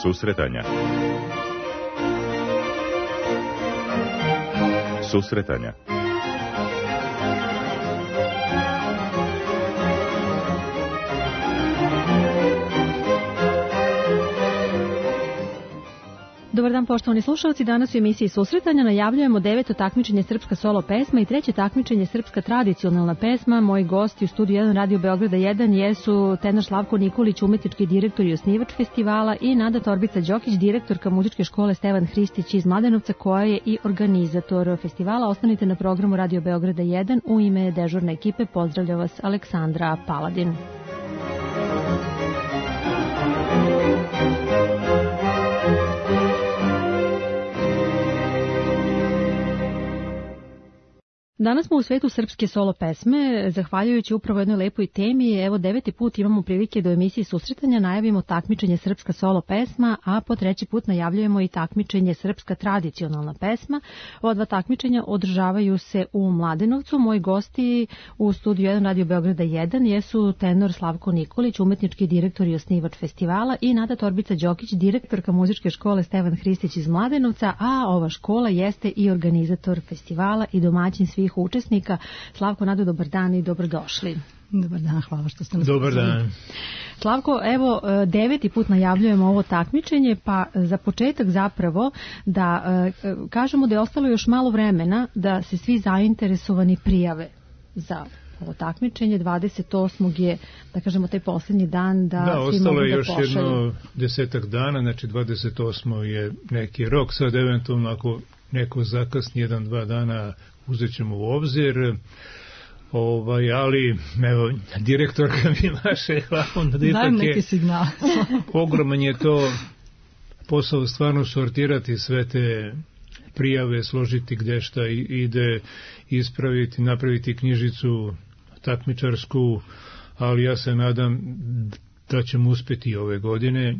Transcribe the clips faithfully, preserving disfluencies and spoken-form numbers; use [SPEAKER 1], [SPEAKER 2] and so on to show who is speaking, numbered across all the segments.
[SPEAKER 1] Susretanja. Susretanja.
[SPEAKER 2] Dobar dan, poštovani slušalci. Danas u emisiji Susretanja najavljujemo deveto takmičenje Srpska solo pesma i treće takmičenje Srpska tradicionalna pesma. Moji gosti u studiju jedan Radio Beograda jedan jesu tenor Slavko Nikolić, umetnički direktor i osnivač festivala, i Nada Torbica-Đokić, direktorka muzičke škole Stevan Hristić iz Mladenovca, koja je i organizator festivala. Ostanite na programu Radio Beograda jedan. U ime dežurne ekipe pozdravlja vas Aleksandra Paladin. Danas smo u svetu srpske solo pesme, zahvaljujući upravo jednoj lepoj temi. Evo, deveti put imamo prilike do emisiji Susretanja najavimo takmičenje Srpska solo pesma, a po treći put najavljujemo i takmičenje Srpska tradicionalna pesma. Ova dva takmičenja održavaju se u Mladenovcu. Moji gosti u studiju jedan Radio Beograda jedan jesu tenor Slavko Nikolić, umetnički direktor i osnivač festivala, i Nada Torbica-Đokić, direktorka muzičke škole Stevan Hristić iz Mladenovca, a ova škola jeste i organizator festivala i domaćin svih učesnika. Slavko, Nado, dobar dan i dobrodošli.
[SPEAKER 3] Dobar dan, hvala što ste nas
[SPEAKER 4] Dobar dan.
[SPEAKER 2] Slavko, evo, deveti put najavljujemo ovo takmičenje, pa za početak zapravo da kažemo da je ostalo još malo vremena da se svi zainteresovani prijave za ovo takmičenje. dvadeset osmog je, da kažemo, taj posljednji dan da,
[SPEAKER 4] da
[SPEAKER 2] svi mogu da
[SPEAKER 4] ostalo je još
[SPEAKER 2] pošalju.
[SPEAKER 4] jedno desetak dana, znači dvadeset osmog je neki rok, sad eventualno ako neko zakasni jedan, dva dana uzet ćemo u obzir, ovaj, ali evo, direktorka mi maše glavom, da ipak
[SPEAKER 3] neki signal.
[SPEAKER 4] Ogroman je to posao stvarno sortirati sve te prijave, složiti gde šta ide, ispraviti, napraviti knjižicu takmičarsku, ali ja se nadam da ćemo uspjeti ove godine,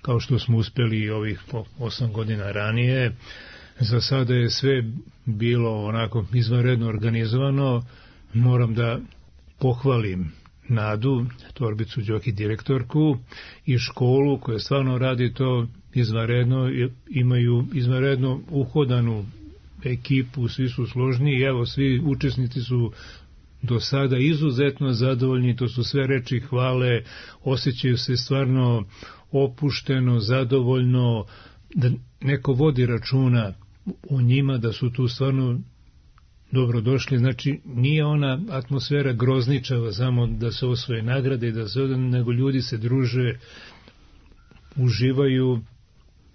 [SPEAKER 4] kao što smo uspjeli i ovih osam godina ranije. Za sada je sve bilo onako izvanredno organizovano. Moram da pohvalim Nadu Torbicu-Đokić, direktorku, i školu koja stvarno radi to izvanredno, imaju izvanredno uhodanu ekipu, svi su složni i evo, svi učesnici su do sada izuzetno zadovoljni, to su sve reči hvale, osjećaju se stvarno opušteno, zadovoljno, da neko vodi računa o njima, da su tu stvarno dobro došli. Znači, nije ona atmosfera grozničava samo da se osvoje nagrade i da se odane, nego ljudi se druže, uživaju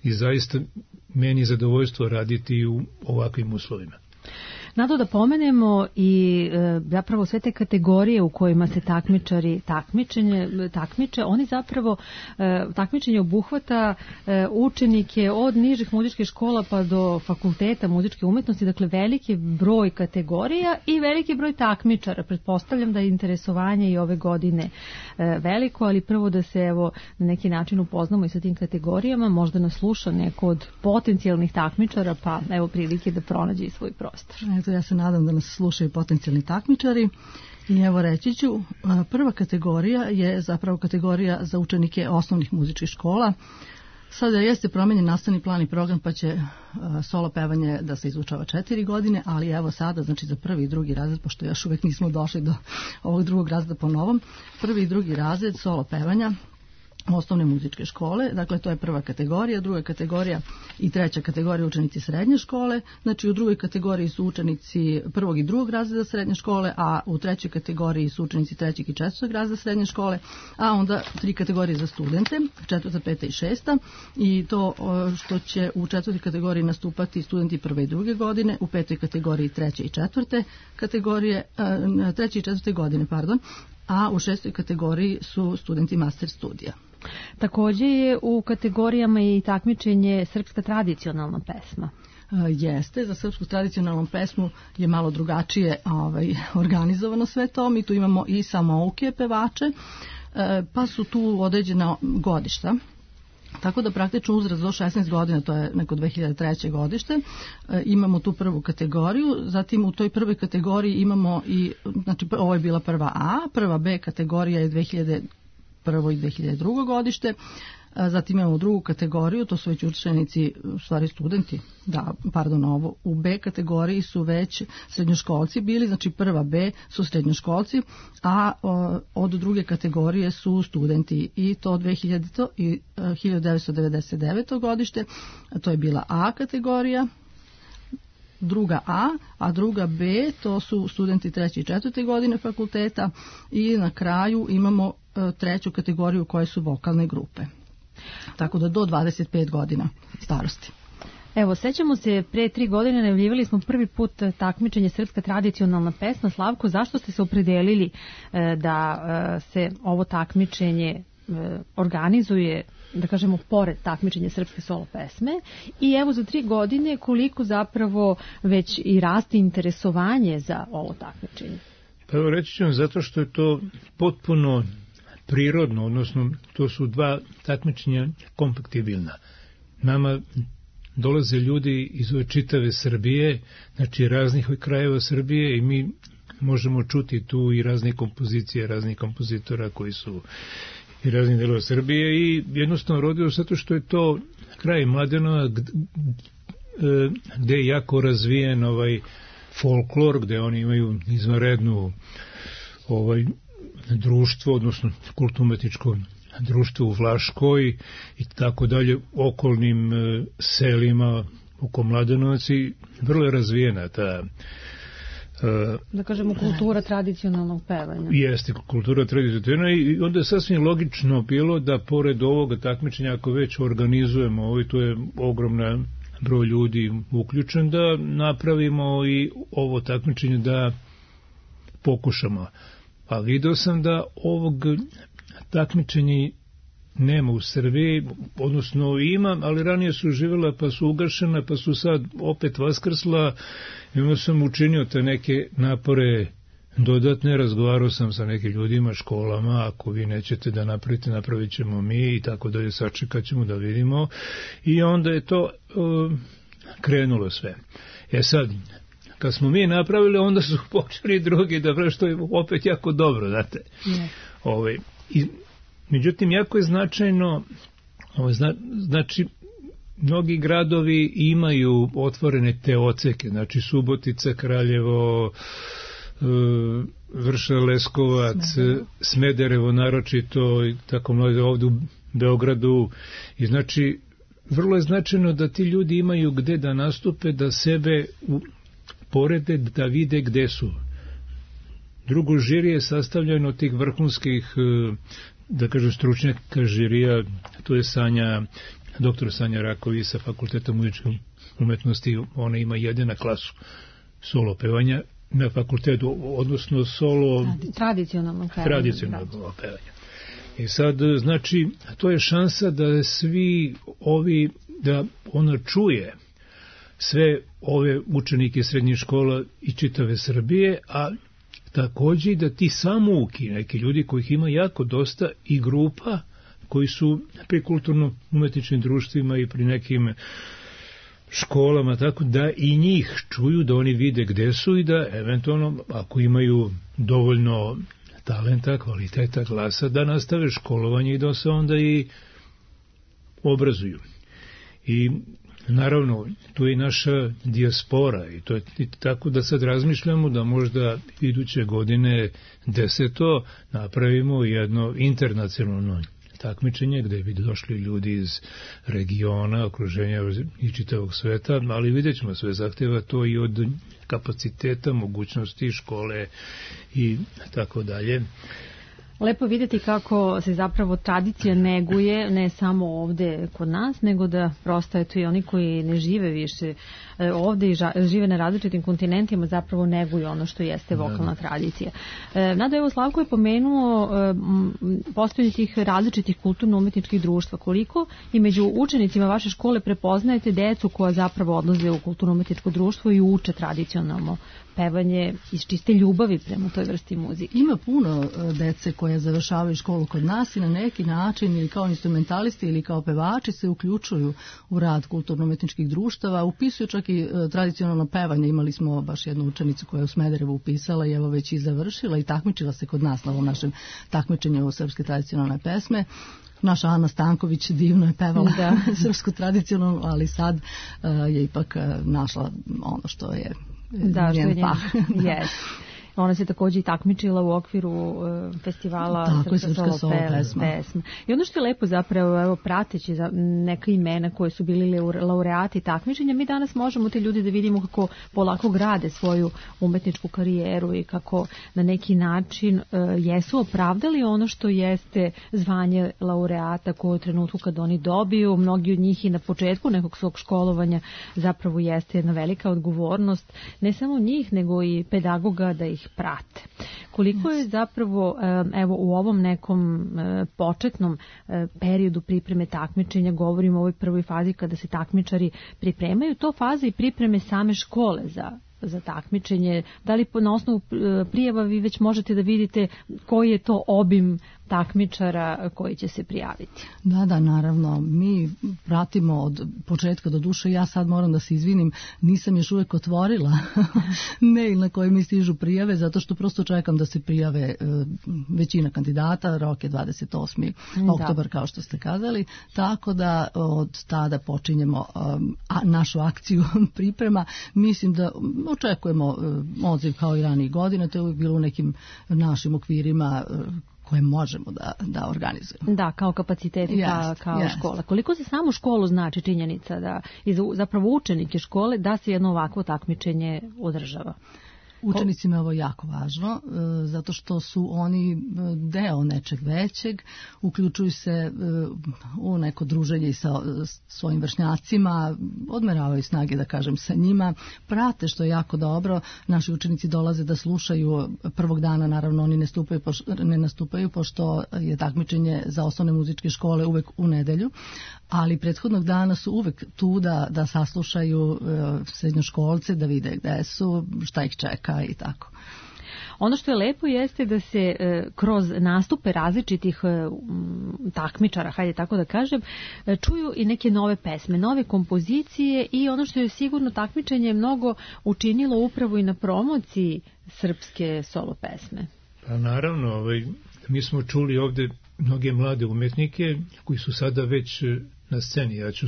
[SPEAKER 4] i zaista meni zadovoljstvo raditi u ovakvim uslovima.
[SPEAKER 2] Nado, da pomenemo i e, zapravo sve te kategorije u kojima se takmičari takmičenje, takmiče, oni zapravo e, takmičenje obuhvata e, učenike od nižih muzičkih škola pa do fakulteta muzičke umetnosti, dakle veliki broj kategorija i veliki broj takmičara. Pretpostavljam da je interesovanje i ove godine e, veliko, ali prvo da se evo na neki način upoznamo i sa tim kategorijama, možda nas sluša neko od potencijalnih takmičara, pa evo prilike da pronađe i svoj prostor.
[SPEAKER 3] Eto, ja se nadam da nas slušaju potencijalni takmičari i evo reći ću, prva kategorija je zapravo kategorija za učenike osnovnih muzičkih škola. Sada jeste promenjen nastavni plan i program, pa će solo pevanje da se izučava četiri godine, ali evo sada, znači za prvi i drugi razred, pošto još uvek nismo došli do ovog drugog razreda po novom, prvi i drugi razred solo pevanja osnovne muzičke škole, dakle to je prva kategorija, druga kategorija i treća kategorija učenici srednje škole, znači u drugoj kategoriji su učenici prvog i drugog razreda srednje škole, a u trećoj kategoriji su učenici trećeg i četvrtog razreda srednje škole, a onda tri kategorije za studente, četvrta, peta i šesta, i to što će u četvrtoj kategoriji nastupati studenti prve i druge godine, u petoj kategoriji treće i četvrte kategorije, treće i četvrte godine, pardon, a u šestoj kategoriji su studenti master studija.
[SPEAKER 2] Također je u kategorijama i takmičenje Srpska tradicionalna pesma.
[SPEAKER 3] Jeste, za srpsku tradicionalnu pesmu je malo drugačije ovaj, organizovano sve to. Mi tu imamo i samouke pevače, pa su tu određena godišta. Tako da praktično uzrast do šesnaest godina, to je neko dve hiljade treće godište, e, imamo tu prvu kategoriju, zatim u toj prvoj kategoriji imamo i, znači ovo je bila prva A, prva B kategorija je dve hiljade prvo i dve hiljade drugo godište, Zatim imamo drugu kategoriju, to su već učenici, u stvari studenti, da, pardon, ovo, u B kategoriji su već srednjoškolci bili, znači prva B su srednjoškolci, a od druge kategorije su studenti i to dve hiljadite i hiljadu devetsto devedeset devete. godište, to je bila A kategorija, druga A, a druga B, to su studenti treće i četvrte godine fakulteta i na kraju imamo treću kategoriju koje su vokalne grupe. Tako da do dvadeset pet godina starosti.
[SPEAKER 2] Evo, sećamo se, pre tri godine najavljivali smo prvi put takmičenje Srpska tradicionalna pesma. Slavko, zašto ste se opredelili da se ovo takmičenje organizuje, da kažemo, pored takmičenja Srpske solo pesme, i evo za tri godine koliko zapravo već i raste interesovanje za ovo takmičenje?
[SPEAKER 4] Pa evo, reći ću vam, zato što je to potpuno prirodno, odnosno to su dva takmičenja kompatibilna. Nama dolaze ljudi iz ove čitave Srbije, znači raznih krajeva Srbije, i mi možemo čuti tu i razne kompozicije, raznih kompozitora koji su i raznih delova Srbije, i jednostavno rodio zato što je to kraj Mladenova gde je jako razvijen ovaj folklor, gde oni imaju izvanrednu ovaj društvo, odnosno kulturno-umetničko društvo u Vlaškoj i tako dalje, okolnim selima oko Mladenovac, i vrlo je razvijena ta,
[SPEAKER 2] da kažemo, kultura tradicionalnog pevanja.
[SPEAKER 4] Jeste, kultura tradicionalna, i onda je sasvim logično bilo da pored ovoga takmičenja, ako već organizujemo ovo, i to je ogromna broj ljudi uključen, da napravimo i ovo takmičenje, da pokušamo. A video sam da ovog takmičenja nema u Srbiji, odnosno ima, ali ranije su živjela pa su ugašena, pa su sad opet vaskrsla, i onda sam učinio te neke napore dodatne, razgovarao sam sa nekim ljudima, školama, ako vi nećete da napravite, napravit ćemo mi, i tako dalje, sačekat ćemo da vidimo, i onda je to uh, krenulo sve. E sad, kad smo mi napravili, onda su počeli drugi da pravi, što je opet jako dobro, znate. Ne. Ove, i, međutim, jako je značajno, ove, zna, znači, mnogi gradovi imaju otvorene te oceke, znači Subotica, Kraljevo, e, Vršac, Leskovac, Smederevo, Smederevo naročito, i tako mnogo ovdje u Beogradu, i znači, vrlo je značajno da ti ljudi imaju gde da nastupe, da sebe u porede, da vide gde su. Drugo, žiri je sastavljeno od tih vrhunskih, da kažem, stručnjaka žirija, to je Sanja, doktor Sanja Raković sa Fakulteta muzičke umetnosti, ona ima jedina klasu solo pevanja na fakultetu, odnosno solo
[SPEAKER 2] tradicionalno pevanje.
[SPEAKER 4] Tradicionalno pevanje. I sad, znači, to je šansa da svi ovi, da ona čuje sve ove učenike srednjih škola i čitave Srbije, a takođe da ti samouki, neki ljudi kojih ima jako dosta, i grupa koji su pri kulturno-umetničkim društvima i pri nekim školama, tako da i njih čuju, da oni vide gde su, i da eventualno, ako imaju dovoljno talenta, kvaliteta glasa, da nastave školovanje i da se onda i obrazuju. I naravno, tu je i naša dijaspora, i to je tako da sad razmišljamo da možda iduće godine deseto napravimo jedno internacionalno takmičenje gde bi došli ljudi iz regiona, okruženja i čitavog sveta, ali vidjet ćemo, sve zahteva to i od kapaciteta, mogućnosti škole i tako dalje.
[SPEAKER 2] Lepo vidjeti kako se zapravo tradicija neguje, ne samo ovde kod nas, nego da prosto je tu i oni koji ne žive više ovde i žive na različitim kontinentima, zapravo neguju ono što jeste vokalna tradicija. Nado, evo, Slavko je pomenuo postojanje tih različitih kulturno-umetničkih društva. Koliko i među učenicima vaše škole prepoznajete decu koja zapravo odlaze u kulturno-umetničko društvo i uče tradicionalno pevanje iz čiste ljubavi prema toj vrsti muzike?
[SPEAKER 3] Ima puno dece koje završavaju školu kod nas i na neki način, ili kao instrumentalisti ili kao pevači, se uključuju u rad kulturno-umetničkih društava, upisuju čak i tradicionalno pevanje. Imali smo baš jednu učenicu koja je u Smederevu upisala i evo već i završila i takmičila se kod nas na ovom našem takmičenju srpske tradicionalne pesme. naša Ana Stanković divno je pevala da. srpsku tradicionalnu, ali sad uh, je ipak uh, našla ono što je
[SPEAKER 2] da,
[SPEAKER 3] njen
[SPEAKER 2] što
[SPEAKER 3] pah.
[SPEAKER 2] Yes. Ona se takođe i takmičila u okviru uh, festivala
[SPEAKER 3] Tako,
[SPEAKER 2] Srpska, Srpska solo pesma. pesma. I ono što je lepo zapravo, evo, prateći za neka imena koje su bili laureati takmičenja, mi danas možemo te ljudi da vidimo kako polako grade svoju umetničku karijeru i kako na neki način uh, jesu opravdali ono što jeste zvanje laureata koje u trenutku kad oni dobiju. Mnogi od njih i na početku nekog svog školovanja zapravo jeste jedna velika odgovornost, ne samo njih, nego i pedagoga da ih prate. Koliko je zapravo evo u ovom nekom početnom periodu pripreme takmičenja, govorimo o ovoj prvoj fazi kada se takmičari pripremaju, to faza i pripreme same škole za za takmičenje, da li na osnovu prijava vi već možete da vidite koji je to obim takmičara koji će se prijaviti?
[SPEAKER 3] Da, da, naravno. Mi pratimo od početka do duše. Ja sad moram da se izvinim, nisam još uvek otvorila mail na koji mi stižu prijave, zato što prosto čekam da se prijave većina kandidata. Rok je dvadeset osmi oktobar, kao što ste kazali. Tako da od tada počinjemo našu akciju priprema. Mislim da očekujemo odziv kao i ranijih godina. To je uvijek bilo u nekim našim okvirima koje možemo da, da organizujemo.
[SPEAKER 2] Da, kao kapaciteti, yes, kao yes. škola. Koliko za samu školu znači činjenica da i za, zapravo učenike škole da se jedno ovakvo takmičenje održava?
[SPEAKER 3] Učenicima je ovo jako važno, zato što su oni deo nečeg većeg, uključuju se u neko druženje i sa svojim vršnjacima, odmeravaju snage, da kažem, sa njima, prate, što je jako dobro. Naši učenici dolaze da slušaju prvog dana, naravno oni ne, stupaju, ne nastupaju, pošto je takmičenje za osnovne muzičke škole uvek u nedelju, ali prethodnog dana su uvek tu da, da saslušaju srednjoškolce, da vide gde su, šta ih čeka i tako.
[SPEAKER 2] Ono što je lepo jeste da se e, kroz nastupe različitih e, takmičara, hajde tako da kažem, e, čuju i neke nove pesme, nove kompozicije i ono što je sigurno takmičenje mnogo učinilo upravo i na promociji srpske solo pesme.
[SPEAKER 4] Pa naravno, ovaj, mi smo čuli ovde mnoge mlade umetnike koji su sada već na sceni. Ja ću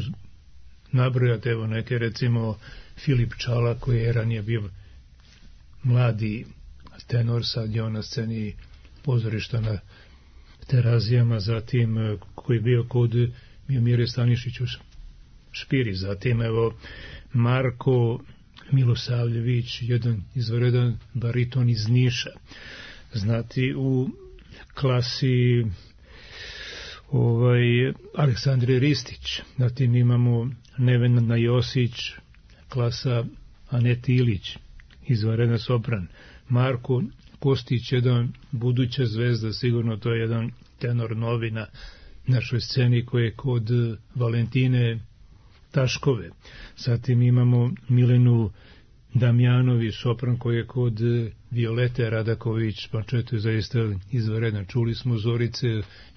[SPEAKER 4] nabrojati evo neke, recimo Filip Čala koji je ranije bio mladi tenor, sad je on na sceni pozorišta na Terazijama, zatim koji je bio kod Miomire Stanišić u Špiri, zatim evo Marko Milosavljević, jedan izvanredan bariton iz Niša. Znati u klasi ovaj Aleksandre Ristić, zatim imamo Nevena Josić, klasa Aneti Ilić, izvanredan sopran. Marko Kostić, jedan buduća zvezda, sigurno to je jedan tenor novi na našoj sceni koji je kod Valentine Taškove. Zatim imamo Milenu Damjanović, sopran koji je kod Violete Radaković, pa četo je zaista izvanredan. Čuli smo Zorice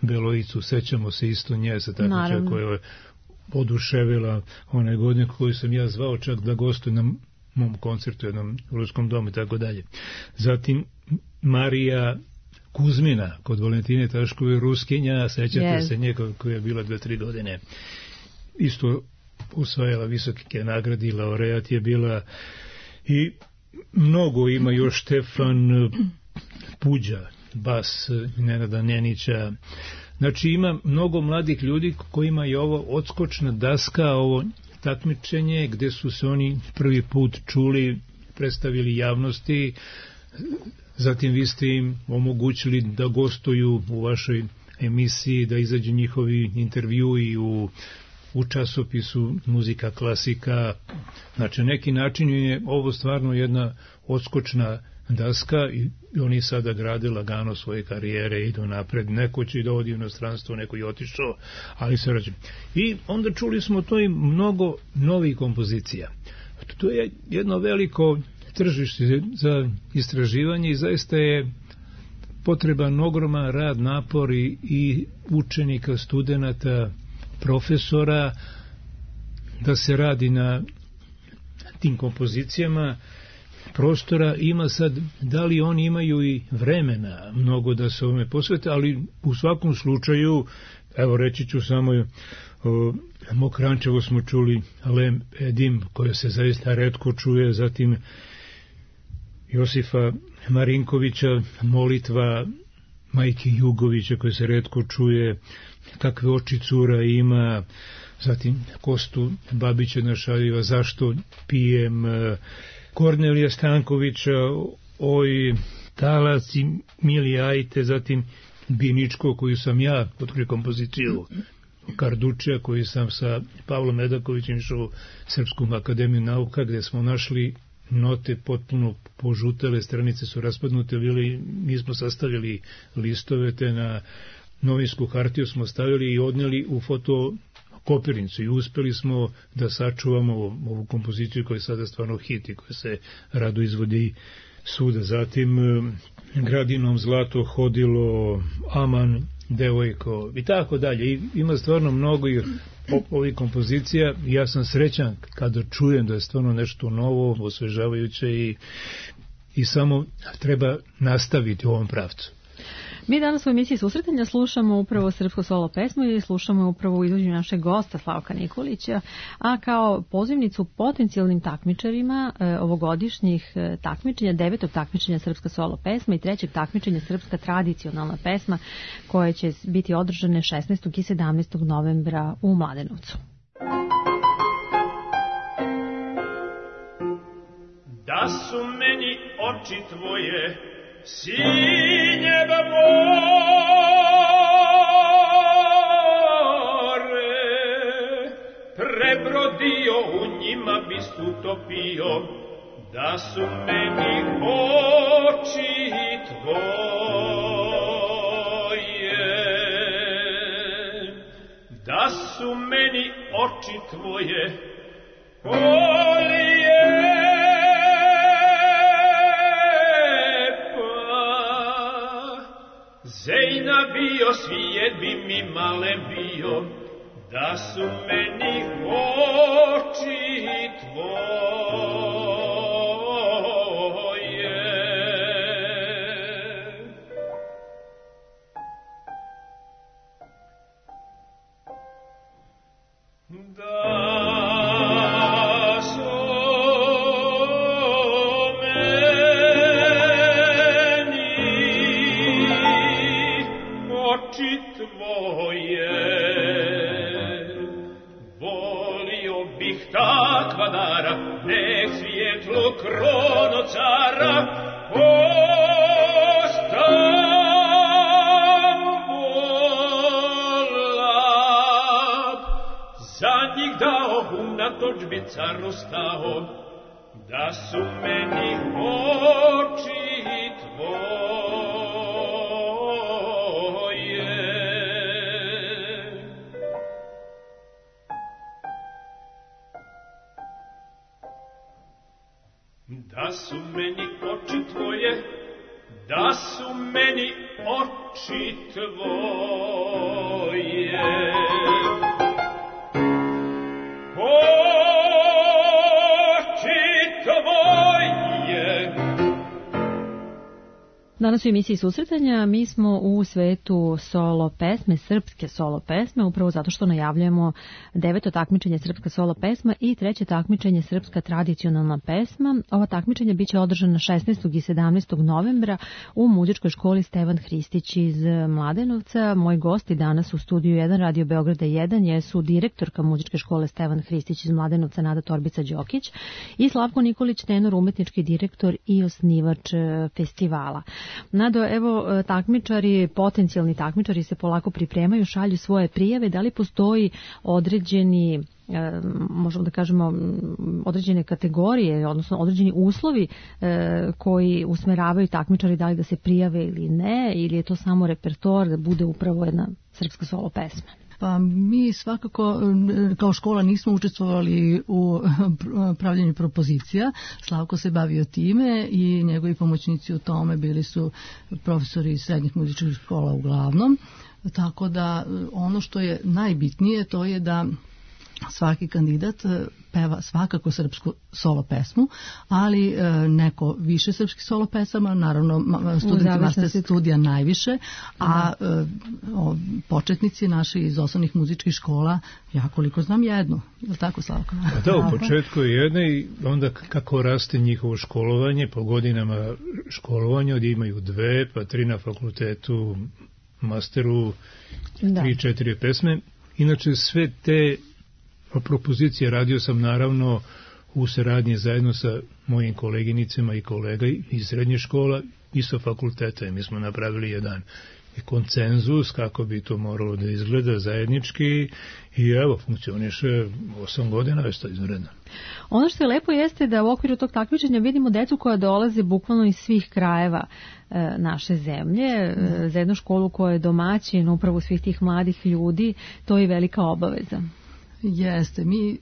[SPEAKER 4] Beloicu, sećamo se isto nje sa takmičara koja je oduševila one godine koju sam ja zvao čak da gostuje na mom koncertu, jednom ruskom domu i tako dalje. Zatim Marija Kuzmina kod Valentine Taškove, Ruskinja, sećate yes. se nje koja je bila dve, tri godine. Isto usvajala visoke nagrade, laureat je bila i mnogo ima još Štefan Puđa, bas Nenada Nenića. Znači ima mnogo mladih ljudi kojima je ovo odskočna daska, ovo takmičenje gde su se oni prvi put čuli, predstavili javnosti, zatim vi ste im omogućili da gostuju u vašoj emisiji, da izađu njihovi intervjui u, u časopisu Muzika klasika. Znači, neki način je ovo stvarno jedna odskočna daska i oni sada grade lagano svoje karijere, idu napred, neko će i da odi u inostranstvo, neko je otišao, ali se rađe. I onda čuli smo to i mnogo novih kompozicija. To je jedno veliko tržište za istraživanje i zaista je potreban ogroman rad, napor i, i učenika, studenata, profesora da se radi na tim kompozicijama. prostora ima sad, da li oni imaju i vremena mnogo da se ovome posvete, ali u svakom slučaju, evo reći ću samo, o, Mokrančevo smo čuli Lem Edim, koja se zaista retko čuje, zatim Josifa Marinkovića, molitva Majke Jugovića, koja se retko čuje, kakve oči cura ima, zatim Kostu Babića Našaljiva, zašto pijem, Kornelija Stankovića, oj talac i mili ajte, zatim Biničko, koju sam ja otkrio kompoziciju Kardučija, koji sam sa Pavlom Medakovićem išao u Srpsku akademiju nauka, gde smo našli note potpuno požutele, stranice su raspadnute bili, mi smo sastavili listove, te na novinsku hartiju smo stavili i odneli u fotokopirnicu i uspeli smo da sačuvamo ovu kompoziciju koja je sada stvarno hit i koja se rado izvodi svuda. Zatim Gradinom zlato hodilo, Aman devojko i tako dalje. I ima stvarno mnogo i ovih kompozicija. Ja sam srećan kada čujem da je stvarno nešto novo, osvežavajuće i, i samo treba nastaviti u ovom pravcu.
[SPEAKER 2] Mi danas u emisiji Susretanja slušamo upravo srpsku solo pesmu i slušamo upravo u izvođenju našeg gosta Slavka Nikolića, a kao pozivnicu potencijalnim takmičarima e, ovogodišnjih e, takmičenja, devetog takmičenja srpska solo pesma i trećeg takmičenja srpska tradicionalna pesma, koje će biti održane šesnaestog i sedamnaestog novembra u Mladenovcu.
[SPEAKER 1] Da su meni oči tvoje sinjeba more, prebrodio u njima bist utopio, da su meni oči tvoje, da su meni oči tvoje, kolije Zejna bio, svijet bi mi male bio, da su meni oči tvoje. Da su oči tvoje, volio bih takva dara, nek svjetlo krono cara, ostam volab, za njih dao unatoč bi caru stao, da su meni oči tvoje. Da su meni oči tvoje, da su meni oči tvoje. Oči tvoje.
[SPEAKER 2] Danas u emisiji Susretanja mi smo u svetu solo pesme, srpske solo pesme, upravo zato što najavljujemo deveto takmičenje srpska solo pesma i treće takmičenje srpska tradicionalna pesma. Ova takmičenja biće održana šesnaestog i sedamnaestog novembra u muzičkoj školi Stevan Hristić iz Mladenovca. Moji gosti danas u studiju jedan Radio Beograda jedan jesu direktorka muzičke škole Stevan Hristić iz Mladenovca Nada Torbica-Đokić i Slavko Nikolić, tenor, umetnički direktor i osnivač festivala. Nado, evo, takmičari, potencijalni takmičari se polako pripremaju, šalju svoje prijave. Da li postoji određeni, možemo da kažemo, određene kategorije, odnosno određeni uslovi koji usmeravaju takmičari da li da se prijave ili ne, ili je to samo repertoar da bude upravo jedna srpska solo pesma?
[SPEAKER 3] Pa mi svakako kao škola nismo učestvovali u pravljenju propozicija. Slavko se bavio time i njegovi pomoćnici u tome bili su profesori iz srednjih muzičkih škola uglavnom. Tako da ono što je najbitnije to je da svaki kandidat peva svakako srpsku solo pesmu, ali e, neko više srpskih solo pesama, naravno studenti master studija najviše, a e, o, početnici naši iz osnovnih muzičkih škola, ja koliko znam jednu, je li tako, Slavko?
[SPEAKER 4] A da, u početku je jedna i onda kako raste njihovo školovanje, po godinama školovanja, od imaju dve, pa tri na fakultetu, masteru, da. tri, četiri pesme. Inače sve te propozicije radio sam naravno u saradnji zajedno sa mojim koleginicama i kolega iz srednje škola i sa fakulteta. Mi smo napravili jedan konsenzus kako bi to moralo da izgleda zajednički i evo, funkcioniše osam godina, je to izvredno.
[SPEAKER 2] Ono što je lepo jeste da u okviru tog takmičenja vidimo decu koja dolaze bukvalno iz svih krajeva e, naše zemlje, e, za jednu školu koja je domaćin upravo svih tih mladih ljudi, to je velika obaveza.
[SPEAKER 3] Jeste, mi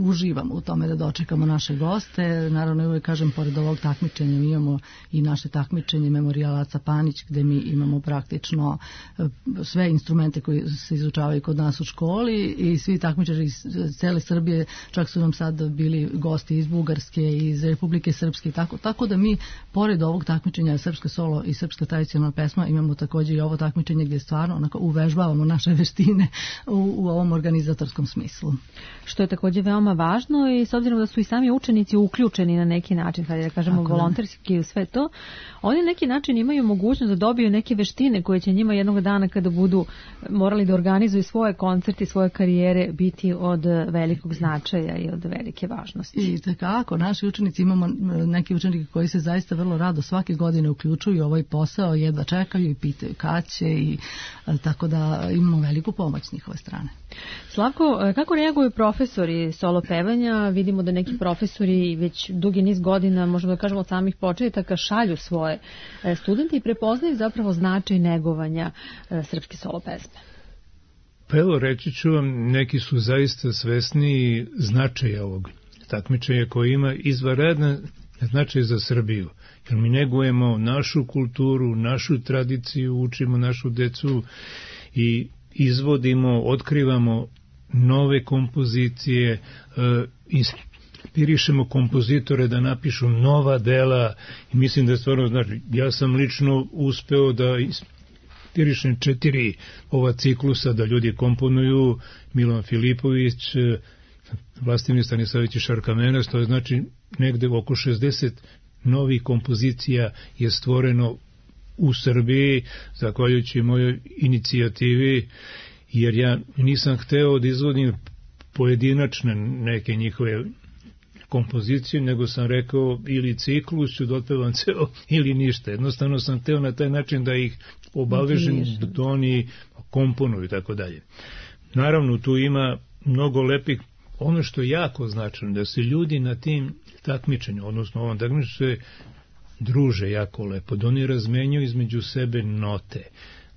[SPEAKER 3] uživamo u tome da dočekamo naše goste. Naravno, uvijek kažem, pored ovog takmičenja mi imamo i naše takmičenje Memorijal Aca Panić, gde mi imamo praktično sve instrumente koji se izučavaju kod nas u školi i svi takmičari iz cele Srbije, čak su nam sad bili gosti iz Bugarske, iz Republike Srpske, tako, tako da mi, pored ovog takmičenja srpska solo i srpska tradicionalna pesma, imamo također i ovo takmičenje gdje stvarno onako uvežbavamo naše veštine u, u ovom organizatorskom smislu.
[SPEAKER 2] Što je također veoma važno i s obzirom da su i sami učenici uključeni na neki način, kada da kažemo tako volonterski u sve to, oni na neki način imaju mogućnost da dobiju neke veštine koje će njima jednog dana kada budu morali da organizuju svoje koncerte, svoje karijere biti od velikog značaja i od velike važnosti.
[SPEAKER 3] I tako, naši učenici, imamo neki učenike koji se zaista vrlo rado svake godine uključuju u ovaj posao, jedva čekaju i pitaju kad će i tako da imamo veliku pomoć s njihove strane.
[SPEAKER 2] Slavko, kako reaguju profesori solo pevanja? Vidimo da neki profesori već dugi niz godina, možemo da kažemo od samih početaka, šalju svoje studente i prepoznaju zapravo značaj negovanja srpske solo pesme.
[SPEAKER 4] Pa evo, reći ću vam, neki su zaista svesni značaja ovog takmičenja koji ima izvanredan značaj za Srbiju. Jer mi negujemo našu kulturu, našu tradiciju, učimo našu decu i izvodimo, otkrivamo nove kompozicije, inspirišemo kompozitore da napišu nova dela i mislim da stvarno, znači, ja sam lično uspeo da inspirišem četiri ova ciklusa da ljudi komponuju, Milan Filipović, Vlastimir Stanislavić i Šarka Menas, to je znači negde oko šezdeset novih kompozicija je stvoreno u Srbiji, zahvaljujući mojoj inicijativi, jer ja nisam hteo da izvodim pojedinačne neke njihove kompozicije, nego sam rekao ili ciklus ću da otpevam ceo ili ništa. Jednostavno sam hteo na taj način da ih obavežem, da oni komponuju i tako dalje. Naravno, tu ima mnogo lepih, ono što je jako značajno, da se ljudi na tim takmičenju, odnosno ovom takmičenju se druže jako lepo, da oni razmenjuju između sebe note,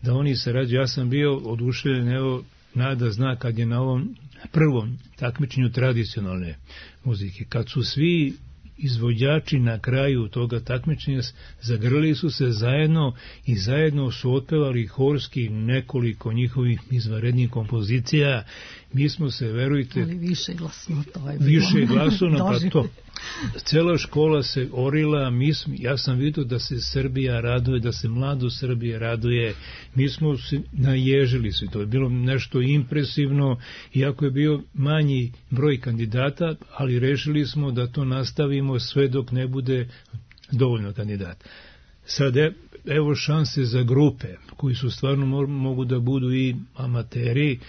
[SPEAKER 4] da oni sarađuju. Ja sam bio oduševljen, evo, Nada zna kad je na ovom prvom takmičenju tradicionalne muzike, kad su svi izvođači na kraju toga takmičenja zagrlili su se zajedno i zajedno su otpevali horski nekoliko njihovih izvanrednih kompozicija. Mi smo se, verujte,
[SPEAKER 3] ali više glasno, to je bilo.
[SPEAKER 4] Više glasno, pa to. Cela škola se orila, mi smo, ja sam vidio da se Srbija raduje, da se mlado Srbije raduje, mi smo se naježili se, to je bilo nešto impresivno, iako je bio manji broj kandidata, ali rešili smo da to nastavimo sve dok ne bude dovoljno kandidata. Sad evo šanse za grupe, koji su stvarno mogu da budu i amateri,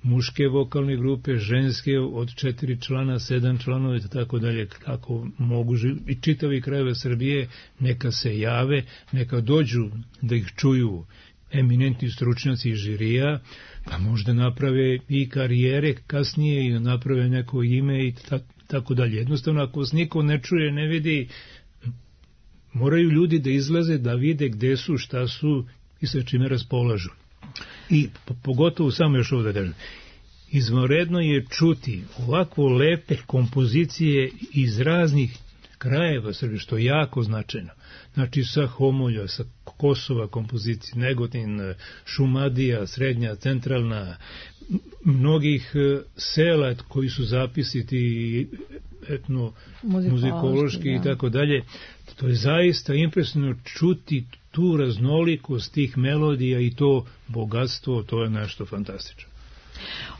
[SPEAKER 4] muške vokalne grupe, ženske od četiri člana, sedam članova i tako dalje, kako mogu i čitavi krajeve Srbije, neka se jave, neka dođu da ih čuju eminentni stručnjaci iz žirija, pa možda naprave i karijere kasnije i naprave neko ime i tako dalje. Jednostavno, ako vas niko ne čuje, ne vidi, moraju ljudi da izlaze, da vide gde su, šta su i sa čime raspolažu. I pogotovo samo još ovo da kažem, izvanredno je čuti ovako lepe kompozicije iz raznih krajeva Srbije, što je jako značajno. Znači sa Homolja, sa Kosova kompozicije, Negotin, Šumadija, srednja, centralna, mnogih sela koji su zapisiti etno, muzikološki i tako dalje. To je zaista impresivno čuti tu raznolikost tih melodija i to bogatstvo, to je nešto fantastično.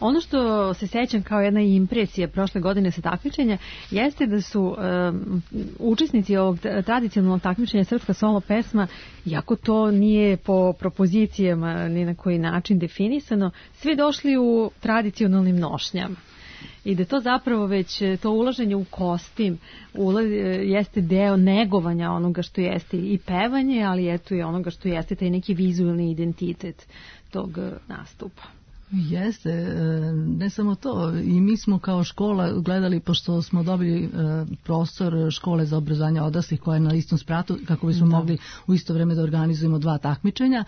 [SPEAKER 2] Ono što se sećam kao jedna impresija prošle godine sa takmičenja jeste da su um, učesnici ovog tradicionalnog takmičenja Srpska solo pesma, iako to nije po propozicijama ni na koji način definisano, svi došli u tradicionalnim nošnjama. I da to zapravo već, to ulaženje u kostim ulaz, jeste deo negovanja onoga što jeste i pevanje, ali eto i onoga što jeste taj neki vizualni identitet tog nastupa.
[SPEAKER 3] Jeste, ne samo to, i mi smo kao škola gledali, pošto smo dobili prostor škole za obrazovanje odraslih koja je na istom spratu, kako bismo da. mogli u isto vreme da organizujemo dva takmičenja,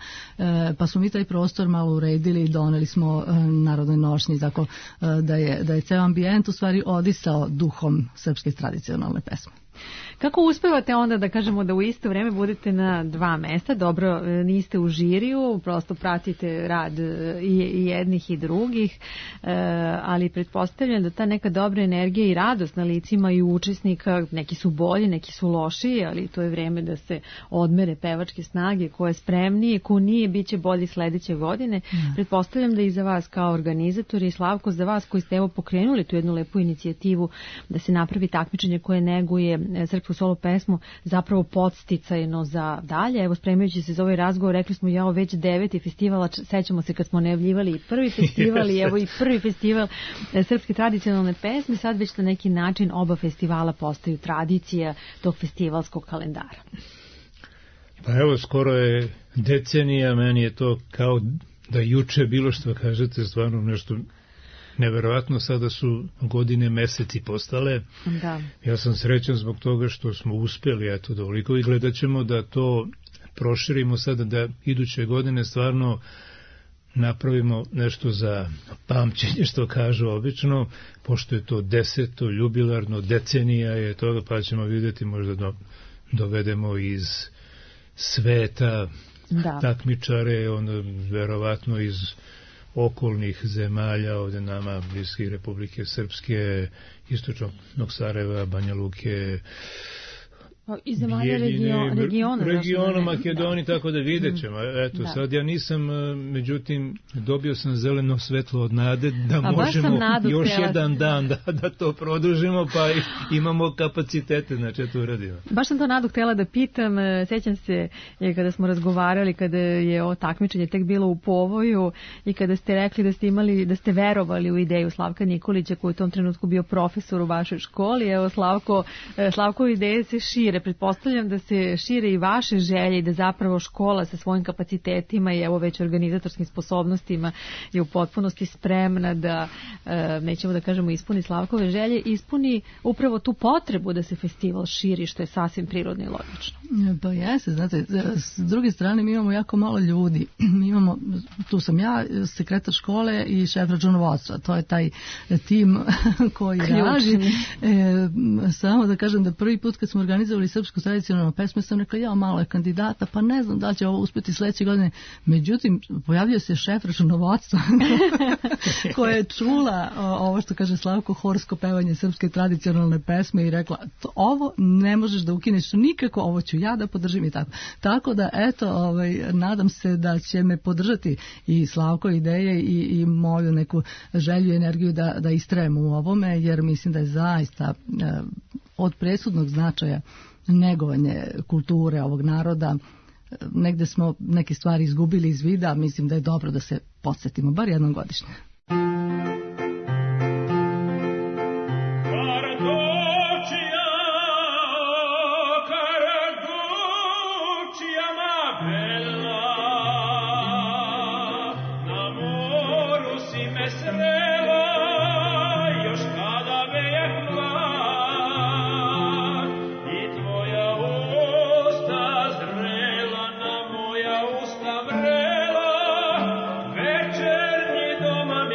[SPEAKER 3] pa smo mi taj prostor malo uredili i doneli smo narodnoj nošnji, tako da je, da je ceo ambijent u stvari odisao duhom srpske tradicionalne pesme.
[SPEAKER 2] Kako uspevate onda da kažemo da u isto vreme budete na dva mesta? Dobro, niste u žiriju, prosto pratite rad i jednih i drugih, ali pretpostavljam da ta neka dobra energija i radost na licima i učesnika, neki su bolji, neki su lošiji, ali to je vreme da se odmere pevačke snage, ko je spremniji, ko nije, bit će bolji sledeće godine. Mm. Pretpostavljam da i za vas kao organizatori, Slavko, za vas koji ste evo pokrenuli tu jednu lepu inicijativu da se napravi takmičenje koje neguje srpsku solo pesmu, zapravo podsticajno za dalje. Evo, spremajući se za ovaj razgovor, rekli smo ja već deveti festivala, sećamo se kad smo najavljivali i prvi festival i evo i prvi festival srpske tradicionalne pesme, sad već na neki način oba festivala postaju tradicija tog festivalskog kalendara.
[SPEAKER 4] Pa evo, skoro je decenija, meni je to kao da juče bilo što kažete, stvarno nešto neverovatno, sada su godine, meseci postale. Da. Ja sam srećan zbog toga što smo uspjeli, eto, dovoliko, i gledat ćemo da to proširimo sada, da iduće godine stvarno napravimo nešto za pamćenje, što kažu obično, pošto je to deseto, jubilarno, decenija je toga, pa ćemo vidjeti, možda do, dovedemo iz sveta da. takmičare, onda verovatno iz okolnih zemalja, ovdje nama bliskih Republike Srpske, Istočnog Sarajeva, Banja Luke,
[SPEAKER 2] iz zemalja regiona, regiona,
[SPEAKER 4] regiona Makedonije, tako da vidjet ćemo. Eto, da. Sad ja nisam, međutim, dobio sam zeleno svetlo od nade da
[SPEAKER 2] A
[SPEAKER 4] možemo još
[SPEAKER 2] htjela...
[SPEAKER 4] jedan dan da, da to produžimo, pa imamo kapacitete, znači to uradimo.
[SPEAKER 2] Baš sam to nadu htjela da pitam, sećam se kada smo razgovarali, kada je ovo takmičenje tek bilo u povoju i kada ste rekli da ste imali, da ste verovali u ideju Slavka Nikolića, koji je u tom trenutku bio profesor u vašoj školi. Evo, Slavko, Slavko ideje se šire. Pretpostavljam da se šire i vaše želje i da zapravo škola sa svojim kapacitetima i evo već organizatorskim sposobnostima je u potpunosti spremna da, nećemo da kažemo ispuni Slavkove želje, ispuni upravo tu potrebu da se festival širi, što je sasvim prirodno i logično.
[SPEAKER 3] Pa jeste, znate, s druge strane mi imamo jako malo ljudi. Mi imamo, tu sam ja, sekretar škole i šef računovodstva. To je taj tim koji radi. E, samo da kažem da prvi put kad smo organizovali srpsku tradicionalnu pesmu, sam rekla, ja, malo je kandidata, pa ne znam da će ovo uspjeti sledeće godine. Međutim, pojavio se šef računovodstva koja je čula ovo što kaže Slavko, horsko pevanje srpske tradicionalne pesme i rekla, to, ovo ne možeš da ukineš nikako, ovo ću ja da podržim i tako. Tako da, eto, ovaj, nadam se da će me podržati i Slavko ideje i, i moju neku želju i energiju da, da istrajem u ovome, jer mislim da je zaista eh, od presudnog značaja negovanje kulture ovog naroda. Negde smo neke stvari izgubili iz vida, mislim da je dobro da se podsjetimo, bar jednom godišnje.
[SPEAKER 1] Večernji doma mi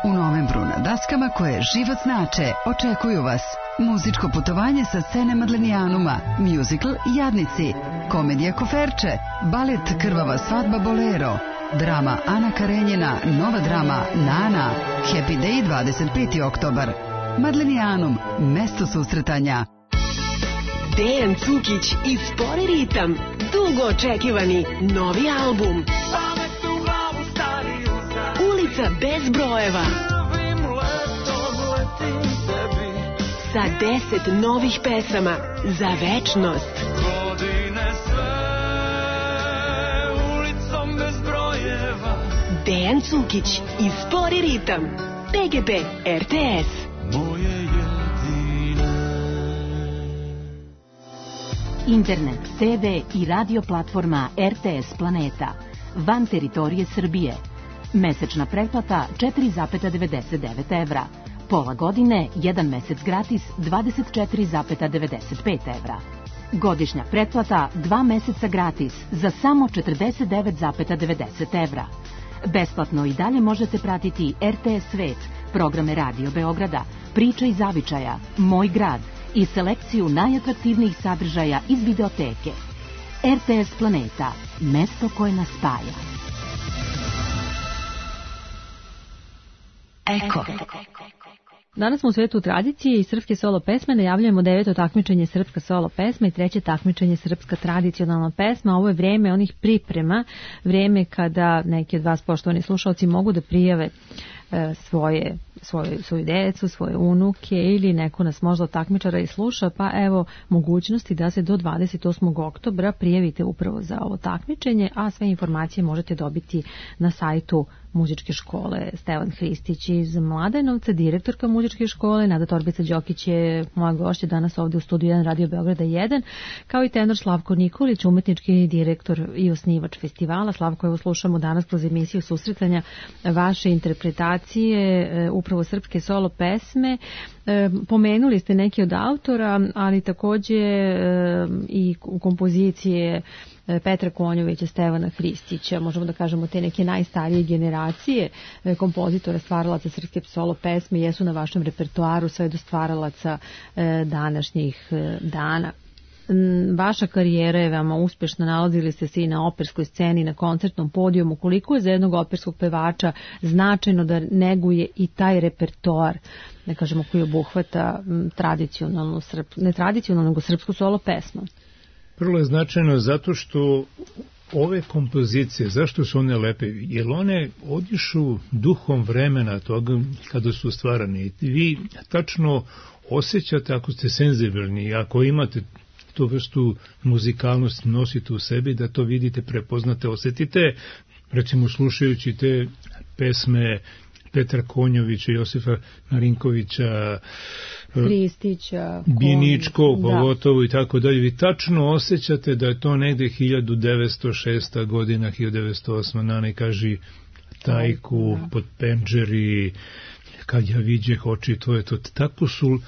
[SPEAKER 5] U novembru na daskama koje život znače očekuju vas muzičko putovanje sa scene Madlenijanuma, muzikl Jadnici, komedija Koferče, balet Krvava svadba Bolero, drama Ana Karenjina, nova drama Nana, Happy Day dvadeset peti oktobar. Madlenijanum, mesto susretanja.
[SPEAKER 6] Dejan Cukić i Spori ritam, dugo očekivani novi album. Ulica bez brojeva. Sa deset novih pesama za večnost. Dejan Cukić i Spori ritam. P G P R T S.
[SPEAKER 7] Internet, te ve i radio platforma R T S Planeta. Van teritorije Srbije. Mesečna pretplata četiri zarez devedeset devet evra. Pola godine, jedan mesec gratis, dvadeset četiri zarez devedeset pet evra. Godišnja pretplata, dva meseca gratis, za samo četrdeset devet zarez devedeset evra. Besplatno i dalje možete pratiti R T S Svet, programe Radio Beograda, Priča i zavičaja, Moj grad i selekciju najatraktivnijih sadržaja iz videoteke. R T S Planeta, mesto koje nas spaja.
[SPEAKER 5] Eko.
[SPEAKER 2] Danas smo u svetu tradicije i srpske solo pesme. Najavljujemo deveto takmičenje srpska solo pesma i treće takmičenje srpska tradicionalna pesma. Ovo je vreme onih priprema, vreme kada neki od vas, poštovani slušalci, mogu da prijave svoje, svoje, svoju decu, svoje unuke ili neko nas možda od takmičara i sluša, pa evo mogućnosti da se do dvadeset osmog oktobra prijavite upravo za ovo takmičenje, a sve informacije možete dobiti na sajtu muzičke škole Stevan Hristić iz Mladenovca, direktorka muzičke škole. Nada Torbica-Đokić je moja gošća danas ovdje u studiju jedan Radio Beograda jedan, kao i tenor Slavko Nikolić, umetnički direktor i osnivač festivala. Slavko, evo slušamo danas kroz emisiju susretanja vaše interpretacije upravo srpske solo pesme. Pomenuli ste neki od autora, ali takođe i kompozicije Petra Konjovića, Stevana Hristića, možemo da kažemo te neke najstarije generacije kompozitora, stvaralaca srpske solo pesme jesu na vašem repertoaru sve do stvaralaca današnjih dana. Vaša karijera je veoma uspešna, nalazili ste se i na operskoj sceni, na koncertnom podijumu. Koliko je za jednog operskog pevača značajno da neguje i taj repertoar, da kažemo, koji obuhvata tradicionalnu, ne tradicionalnu, nego srpsku solo pesmu?
[SPEAKER 4] Prvo je značajno zato što ove kompozicije, zašto su one lepe? Jer one odišu duhom vremena toga kada su stvarane. Vi tačno osjećate, ako ste senzibilni, ako imate tu vrstu muzikalnosti, nosite u sebi, da to vidite, prepoznate, osjetite, recimo slušajući te pesme Petra Konjovića, Josifa Marinkovića,
[SPEAKER 2] Hristića,
[SPEAKER 4] Biničkog, pogotovo i tako dalje. Vi tačno osjećate da je to negde hiljadu devetsto šesta godina, hiljadu devetsto osma Nana kaži Tajku, pod penđeri, kad ja viđeh oči tvoje, to tako su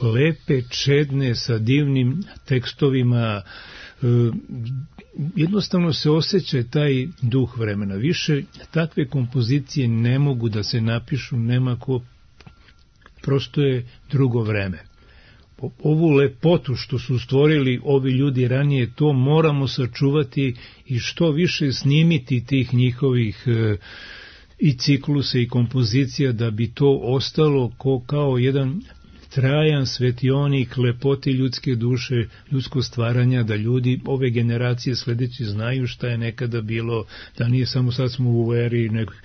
[SPEAKER 4] lepe, čedne, sa divnim tekstovima, jednostavno se osjeća taj duh vremena. Više takve kompozicije ne mogu da se napišu, nema ko, prosto je drugo vreme. Ovu lepotu što su stvorili ovi ljudi ranije, to moramo sačuvati i što više snimiti tih njihovih i ciklusa i kompozicija da bi to ostalo ko, kao jedan trajan svetionik lepoti ljudske duše, ljudsko stvaranja, da ljudi ove generacije sledeći znaju šta je nekada bilo, da nije samo sad smo u eri nekog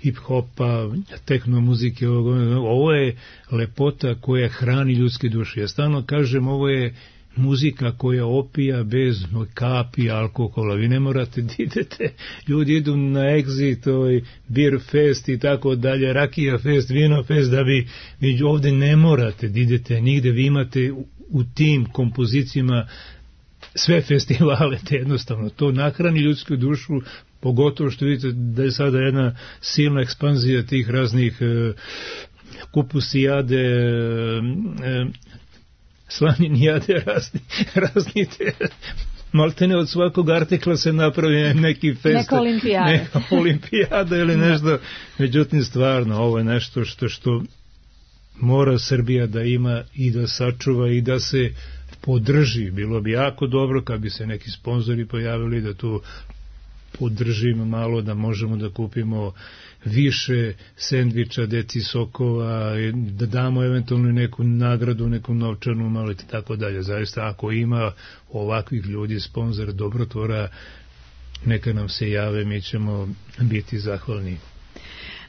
[SPEAKER 4] hip-hopa, tehnomuzike, ovo je lepota koja hrani ljudske duše. Ja stalno kažem, ovo je muzika koja opija bez kapi alkohola. Vi ne morate da idete, ljudi idu na Exit, Beer Fest i tako dalje, Rakija Fest, Vino Fest, da bi, vi ovde ne morate da idete nigde, vi imate u, u tim kompozicijama sve festivale, te jednostavno to nahrani ljudsku dušu, pogotovo što vidite da je sada jedna silna ekspanzija tih raznih e, kupusijade, e, slaninijade, razni, razni te, maltene od svakog artikla se napravi neki fest,
[SPEAKER 2] neka olimpijada,
[SPEAKER 4] neka olimpijada ili nešto, međutim stvarno ovo je nešto što, što mora Srbija da ima i da sačuva i da se podrži. Bilo bi jako dobro kad bi se neki sponzori pojavili da tu podržimo malo, da možemo da kupimo više sendviča, deci sokova, da damo eventualno neku nagradu, neku novčanu, malo i tako dalje. Zaista, ako ima ovakvih ljudi, sponzor, dobrotvora, neka nam se jave, mi ćemo biti zahvalni.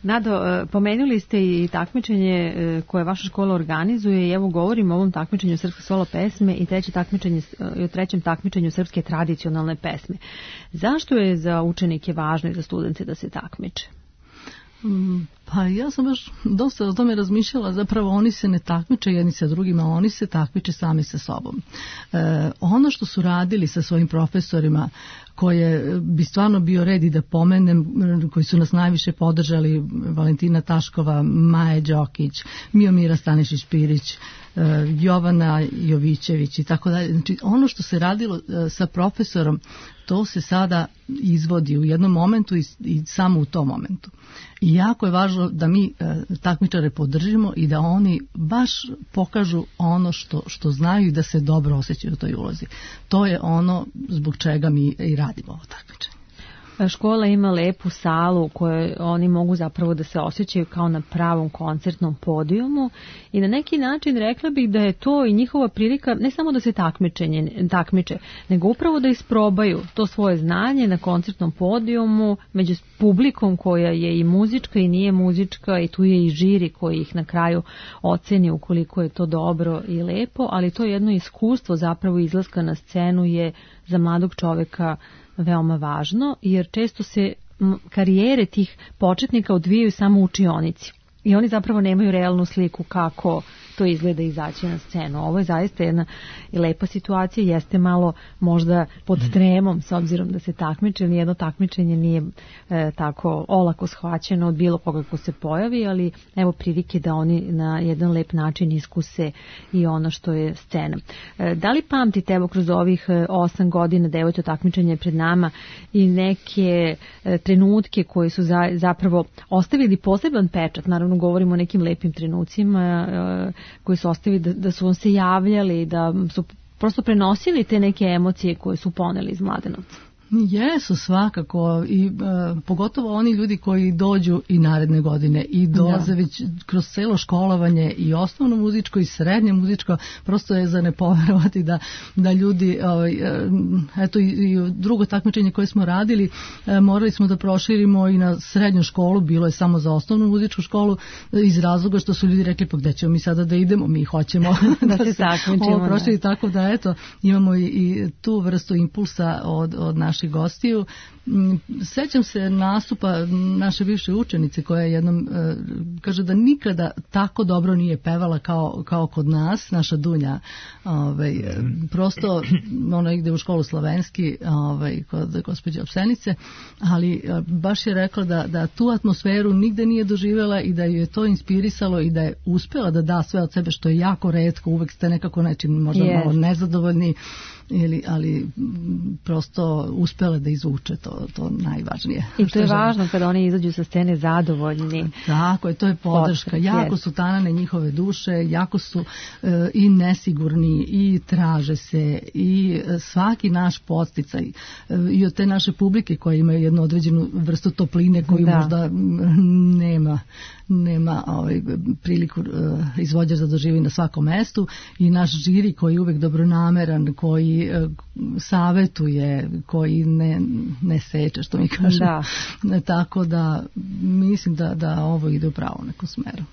[SPEAKER 2] Nado, pomenuli ste i takmičenje koje vaša škola organizuje i evo govorimo o ovom takmičenju srpske solo pesme i treće takmičenje, o trećem takmičenju srpske tradicionalne pesme. Zašto je za učenike važno i za studente da se takmiče?
[SPEAKER 3] Pa ja sam baš dosta o tome razmišljala, zapravo oni se ne takmiče jedni sa drugima, oni se takmiče sami sa sobom. E, ono što su radili sa svojim profesorima, koje bi stvarno bio red i da pomenem, koji su nas najviše podržali, Valentina Taškova, Maja Đokić, Miomira Stanišić-Pirić, Jovana Jovićević i tako dalje. Znači ono što se radilo sa profesorom, to se sada izvodi u jednom momentu i, i samo u tom momentu. I jako je važno da mi e, takmičare podržimo i da oni baš pokažu ono što, što znaju i da se dobro osjećaju u toj ulozi. To je ono zbog čega mi i radimo ovo takmičenje.
[SPEAKER 2] Škola ima lepu salu u kojoj oni mogu zapravo da se osjećaju kao na pravom koncertnom podijumu i na neki način rekla bih da je to i njihova prilika ne samo da se takmičenje, takmiče, nego upravo da isprobaju to svoje znanje na koncertnom podijumu među publikom koja je i muzička i nije muzička i tu je i žiri koji ih na kraju oceni ukoliko je to dobro i lepo, ali to jedno iskustvo zapravo izlaska na scenu je za mladog čoveka veoma važno, jer često se karijere tih početnika odvijaju samo u učionici i oni zapravo nemaju realnu sliku kako to izgleda izaći na scenu. Ovo je zaista jedna lepa situacija, jeste malo možda pod tremom s obzirom da se takmiče, nijedno takmičenje nije e, tako olako shvaćeno od bilo koga ko se pojavi, ali evo prilike da oni na jedan lep način iskuse i ono što je scena. E, da li pamtite evo kroz ovih osam godina da je to takmičenje pred nama i neke e, trenutke koji su za, zapravo ostavili poseban pečat, naravno govorimo o nekim lepim trenucima e, koji su ostavili da, da su vam se javljali, da su prosto prenosili te neke emocije koje su poneli iz Mladenovca?
[SPEAKER 3] Jesu svakako i e, pogotovo oni ljudi koji dođu i naredne godine i dolaze da. Već kroz celo školovanje i osnovno muzičko i srednje muzičko, prosto je za ne poverovati da, da ljudi ovaj, eto i, i drugo takmičenje koje smo radili e, morali smo da proširimo i na srednju školu, bilo je samo za osnovnu muzičku školu iz razloga što su ljudi rekli pa gde ćemo mi sada da idemo, mi hoćemo
[SPEAKER 2] da, da se takmičimo,
[SPEAKER 3] ovo proširi, tako da eto imamo i, i tu vrstu impulsa od, od naše naših gostiju. Sećam se nastupa naše bivše učenice koja je jednom kaže da nikada tako dobro nije pevala kao, kao kod nas, naša Dunja. Ovaj, prosto ona ide u školu slovenski ovaj, kod gospođe Opsenice, ali baš je rekla da, da tu atmosferu nigde nije doživjela i da ju je to inspirisalo i da je uspjela da da sve od sebe, što je jako retko, uvek ste nekako nečim možda yes. malo nezadovoljni, ili, ali prosto uspjela da izvuče to, to najvažnije.
[SPEAKER 2] I to je važno kada oni izađu sa scene zadovoljni.
[SPEAKER 3] Tako je, to je podrška. Podrška jako yes. su tanane njihove duše, jako su e, i nesigurni i traže se i svaki naš podsticaj e, i od te naše publike koje imaju jednu određenu vrstu topline koju da. možda nema nema ovaj, priliku uh, izvođač da doživi na svakom mestu, i naš žiri koji je uvek dobronameran, koji uh, savetuje, koji ne, ne seče, što mi kažem. Da. Tako da mislim da, da ovo ide u pravu nekom smeru.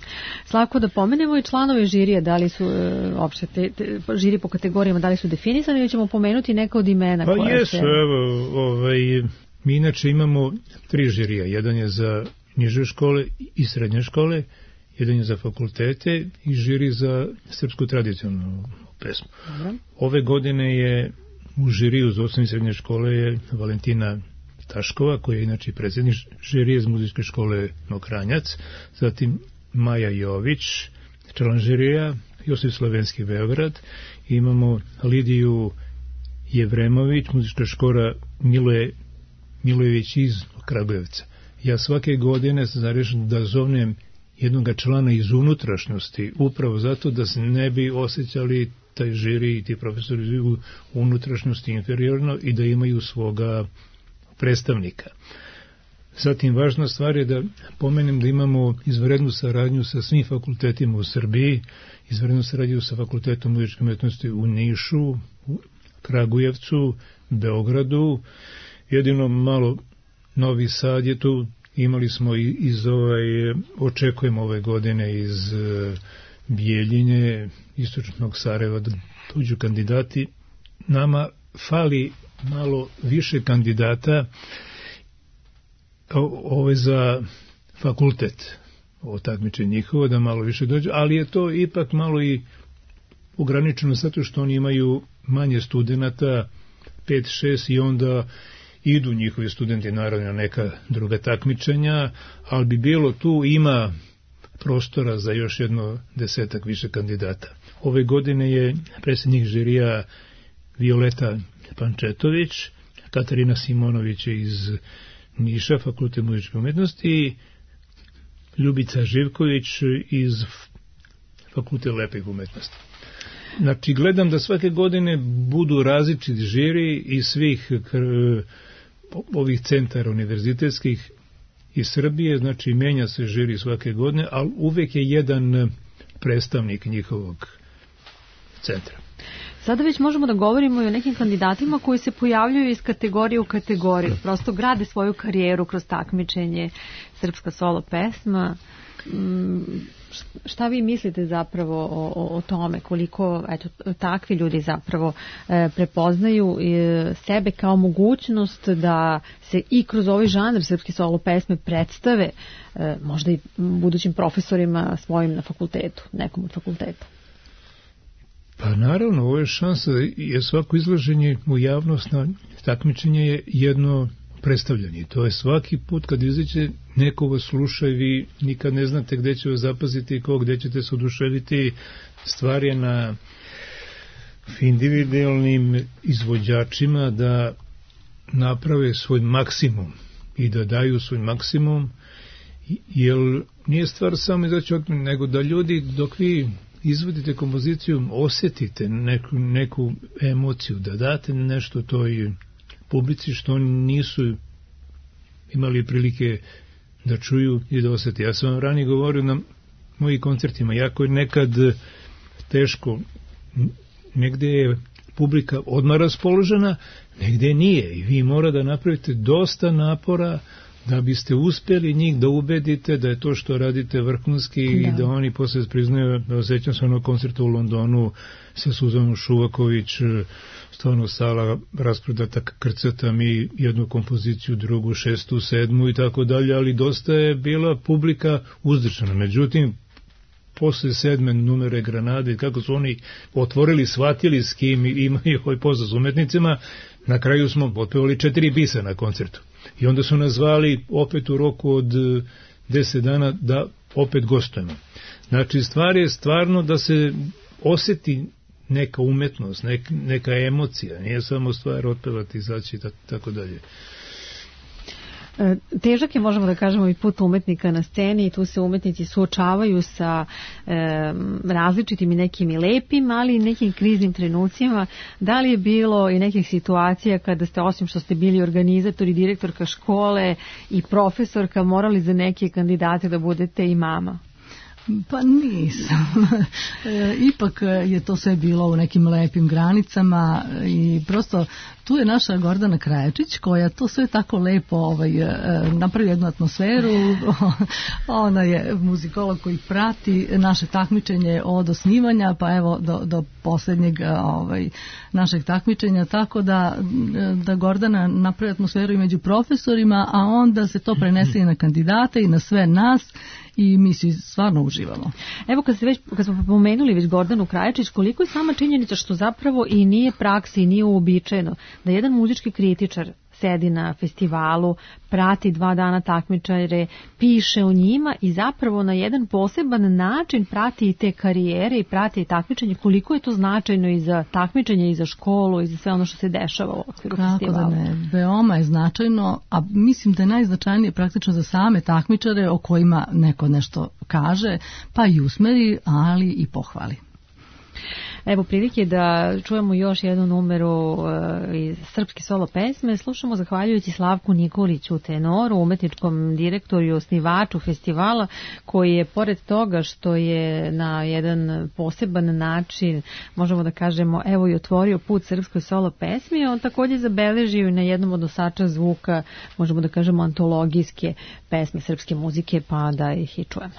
[SPEAKER 2] Slavko, da pomenemo i članove žirije, da li su uh, opšte te, te, žiri po kategorijama, da li su definisani, ili ćemo pomenuti neka od imena?
[SPEAKER 4] Pa
[SPEAKER 2] koja
[SPEAKER 4] jesu,
[SPEAKER 2] se...
[SPEAKER 4] evo, ovaj, mi inače imamo tri žirija, jedan je za niže škole i srednje škole, jedan je za fakultete i žiri za srpsku tradicionalnu pesmu. Dobro. Ove godine je u žiriju za osnovne i srednje škole je Valentina Taškova, koja je inače predsjednik žirije iz muzičke škole Mokranjac, zatim Maja Jović, član žirija, Josip Slavenski Beograd, imamo Lidiju Jevremović, muzička škola Miloje Milojević iz Kragujevca. Ja svake godine se zarešam da zovnem jednog člana iz unutrašnjosti, upravo zato da se ne bi osjećali taj žiri i ti profesori u unutrašnjosti inferiorno i da imaju svoga predstavnika. Zatim, važna stvar je da pomenem da imamo izvanrednu saradnju sa svim fakultetima u Srbiji, izvanrednu saradnju sa Fakultetom muzičke umetnosti u Nišu, u Kragujevcu, Beogradu, jedino malo Novi Sad je tu, imali smo i iz ovaj, očekujemo ove godine iz uh, Bijeljine, istočnog Sarajeva da tuđu kandidati. Nama fali malo više kandidata ove za fakultet, ovo takmičenje njihovo, da malo više dođe, ali je to ipak malo i ograničeno zato što oni imaju manje studenata, pet šest, i onda idu njihovi studenti naravno na neka druga takmičenja, ali bi bilo tu, ima prostora za još jedno desetak više kandidata. Ove godine je predsjednik žirija Violeta Pančetović, Katarina Simonović iz Niša, Fakultet muzičke umetnosti, i Ljubica Živković iz Fakultet lepih umetnosti. Znači, gledam da svake godine budu različiti žiri iz svih ovih centara univerzitetskih iz Srbije, znači menja se žiri svake godine, ali uvek je jedan predstavnik njihovog centra.
[SPEAKER 2] Sada već možemo da govorimo i o nekim kandidatima koji se pojavljuju iz kategorije u kategoriju, prosto grade svoju karijeru kroz takmičenje srpska solo pesma. Šta vi mislite zapravo o, o, o tome, koliko eto, takvi ljudi zapravo e, prepoznaju e, sebe kao mogućnost da se i kroz ovaj žanr srpske solo pesme predstave e, možda i budućim profesorima svojim na fakultetu, nekom od fakulteta?
[SPEAKER 4] Pa naravno, ovo je šansa, jer svako izlaženje u javnost na takmičenje je jedno predstavljanje. To je svaki put kad izađe neko vas sluša i vi nikad ne znate gde će vas zapaziti i ko, gde ćete se oduševiti. Stvar je na individualnim izvođačima da naprave svoj maksimum i da daju svoj maksimum, jer nije stvar samo izaći od, nego da ljudi dok vi izvodite kompoziciju osjetite neku, neku emociju, da date nešto toj publici što oni nisu imali prilike da čuju i da osjeti. Ja sam vam ranije govorio na mojih koncertima, jako je nekad teško, negde je publika odmah raspoložena, negde nije i vi mora da napravite dosta napora da biste uspeli njih da ubedite da je to što radite vrhunski da. I da oni posle priznaju, osjećam se onog koncerta u Londonu sa Suzanom Šuvaković, stvarno sala rasprodata, krcata mi jednu kompoziciju, drugu, šestu, sedmu i tako dalje, ali dosta je bila publika uzdržana. Međutim, posle sedme numere Granade, kako su oni otvorili, shvatili s kim imaju ovaj posao s umetnicima, na kraju smo otpevali četiri bisa na koncertu. I onda su nas zvali opet u roku od deset dana da opet gostujemo. Znači, stvar je stvarno da se osjeti neka umetnost, nek, neka emocija, nije samo stvar otpevati, izaći i tako dalje.
[SPEAKER 2] Težak je, možemo da kažemo, i put umetnika na sceni i tu se umetnici suočavaju sa e, različitim i nekim i lepim, ali i nekim kriznim trenucima. Da li je bilo i nekih situacija kada ste, osim što ste bili organizator i direktorka škole i profesorka, morali za neke kandidate da budete i mama?
[SPEAKER 3] Pa nisam. Ipak je to sve bilo u nekim lepim granicama i prosto tu je naša Gordana Krajačić koja to sve tako lepo ovaj, napravi jednu atmosferu. Ona je muzikolog koji prati naše takmičenje od osnivanja pa evo do, do posljednjeg ovaj, našeg takmičenja, tako da, da Gordana napravi atmosferu i među profesorima, a onda se to prenese i na kandidate i na sve nas i mi svi stvarno uživamo.
[SPEAKER 2] Evo kad, se već, kad smo pomenuli već Gordanu Krajačić, koliko je sama činjenica što zapravo i nije praksi i nije uobičajeno da jedan muzički kritičar sedi na festivalu, prati dva dana takmičare, piše o njima i zapravo na jedan poseban način prati i te karijere i prati i takmičenje, koliko je to značajno i za takmičenje i za školu i za sve ono što se dešava u okviru
[SPEAKER 3] Kako
[SPEAKER 2] festivala.
[SPEAKER 3] Da ne, veoma je značajno, a mislim da je najznačajnije praktično za same takmičare o kojima neko nešto kaže, pa i usmeri, ali i pohvali.
[SPEAKER 2] Evo prilike da čujemo još jednu numeru uh, iz srpske solo pesme. Slušamo zahvaljujući Slavku Nikoliću, tenoru, umetničkom direktoru i osnivaču festivala, koji je pored toga što je na jedan poseban način, možemo da kažemo, evo i otvorio put srpskoj solo pesmi, on također zabeležio i na jednom od nosača zvuka, možemo da kažemo, antologijske pesme srpske muzike, pa da ih i čujemo.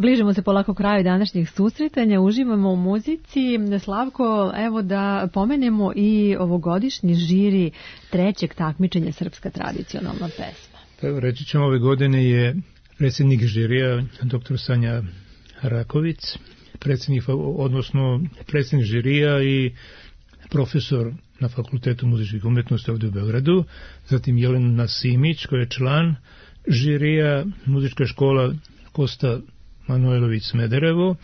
[SPEAKER 2] Bližimo se polako kraju današnjih susretanja, uživamo u muzici. Slavko, evo da pomenemo i ovogodišnji žiri trećeg takmičenja Srpska tradicionalna pesma.
[SPEAKER 4] Pa evo, reći ćemo, ove godine je predsjednik žirija doktor Sanja Raković, predsjednik, odnosno predsjednik žirija i profesor na Fakultetu muzičkih umjetnosti ovdje u Beogradu, zatim Jelena Simić koja je član žirija, muzička škola Kosta Manojlović Smederevo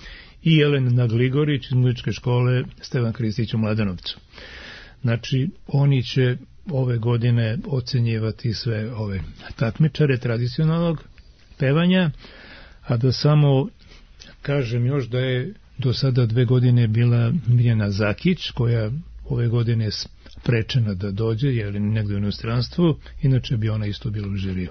[SPEAKER 4] i Jelena Gligorić iz muzičke škole Stevan Kristić u Mladenovcu. Znači, oni će ove godine ocenjivati sve ove takmičare tradicionalnog pevanja, a da samo kažem još da je do sada dve godine bila Mirjana Zakić, koja ove godine je sprečena da dođe, jer je negdje u inostranstvu, inače bi ona isto bila u žiriju.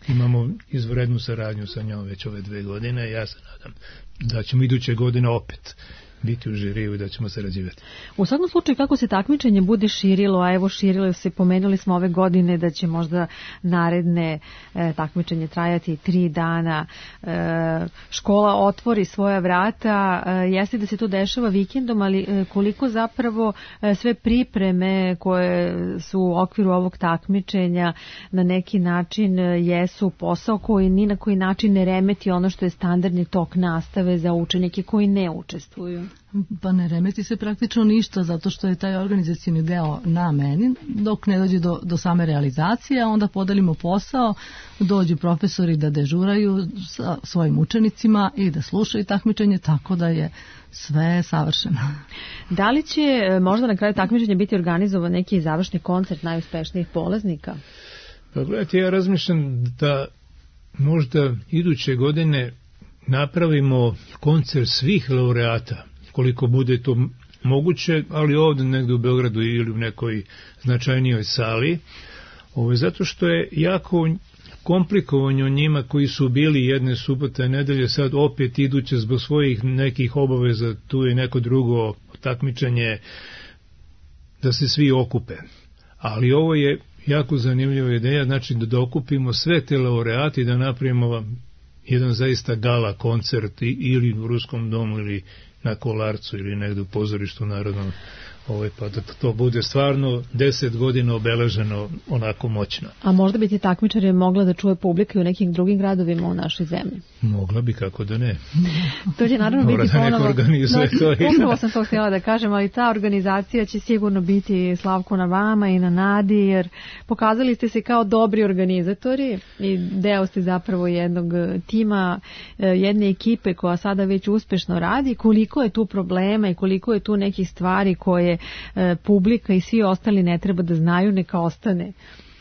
[SPEAKER 4] Imamo izvrednu saradnju sa njom već ove dve godine, ja se nadam da ćemo iduće godine opet biti u žiriju i da ćemo sarađivati.
[SPEAKER 2] U svakom slučaju, kako se takmičenje bude širilo, a evo širilo se, pomenuli smo ove godine da će možda naredne e, takmičenje trajati tri dana, e, škola otvori svoja vrata, e, jeste da se to dešava vikendom, ali e, koliko zapravo e, sve pripreme koje su u okviru ovog takmičenja na neki način e, jesu posao koji ni na koji način ne remeti ono što je standardni tok nastave za učenike koji ne učestvuju.
[SPEAKER 3] Pa ne remeti se praktično ništa, zato što je taj organizacijni deo na meni, dok ne dođe do, do same realizacije, onda podelimo posao, dođu profesori da dežuraju sa svojim učenicima i da slušaju takmičenje, tako da je sve savršeno.
[SPEAKER 2] Da li će možda na kraju takmičenja biti organizovan neki završni koncert najuspešnijih polaznika?
[SPEAKER 4] Pa gledajte, ja razmišljam da možda iduće godine napravimo koncert svih laureata, koliko bude to moguće, ali ovdje negdje u Beogradu ili u nekoj značajnijoj sali. Ovo je zato što je jako komplikovanje o njima koji su bili jedne subote, nedelje, sad opet iduće zbog svojih nekih obaveza, tu je neko drugo takmičenje, da se svi okupe. Ali ovo je jako zanimljiva ideja, znači da dokupimo sve te laureati i da napravimo jedan zaista gala koncert ili u Ruskom domu ili na Kolarcu ili negdje u pozorištu narodnom, ovaj, pa da to bude stvarno deset godina obeleženo onako moćno.
[SPEAKER 2] A možda bi ti takmičare mogla da čuje publika i u nekim drugim gradovima u našoj zemlji?
[SPEAKER 4] Mogla bi, kako da ne.
[SPEAKER 2] To će naravno biti ponovo.
[SPEAKER 4] Organizuje
[SPEAKER 2] no,
[SPEAKER 4] to.
[SPEAKER 2] Upravo sam to htjela da kažem, ali ta organizacija će sigurno biti, Slavko, na vama i na Nadi, jer pokazali ste se kao dobri organizatori i deo ste zapravo jednog tima, jedne ekipe koja sada već uspešno radi. Koliko je tu problema i koliko je tu nekih stvari koje e, publika i svi ostali ne treba da znaju, neka ostane